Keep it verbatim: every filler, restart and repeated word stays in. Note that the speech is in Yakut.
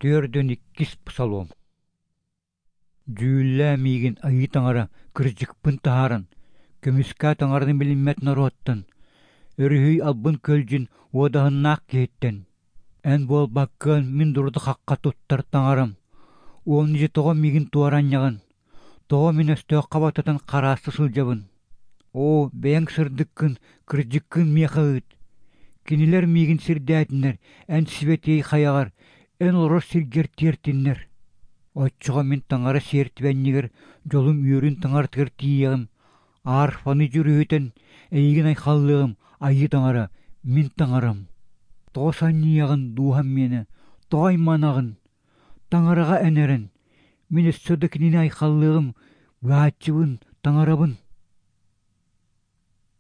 Түөрдүн иккис псалом. Дьүүллээ миигин Айыы Таҥара кырдьыкпын таһааран, көмүскээ Таҥараны билиммэт норуоттан, өрүһүй албын-көлдьүн уодаһыннаах киһиттэн. Эн буолбаккыан мин дурда-хахха туттар Таҥарам, уонна дьэ тоҕо миигин туора анньаҕын, тоҕо мин өстөөххө баттатан харааста сылдьабын? Оо, бэйэҥ сырдыккын, кырдьыккын миэхэ ыыт. Кинилэр миигин сирдээтиннэр, эн сибэтиэй хайаҕар, эн олорор сиргэр тиэртиннэр. Оччоҕо мин Таҥара сиэртибэнньигэр дьолум үөрүүн Таҥаратыгар тиийиэҕим, арфаны дьүрүһүтэн эйигин айхаллыаҕым, Айыы Таҥара, мин Таҥарам. Тоҕо санньыйаҕын, дууһам миэнэ, тоҕо айманаҕын? Таҥараҕа эн эрэн, мин өссө да кинини айхаллыаҕым, быыһааччыбын, Таҥарабын.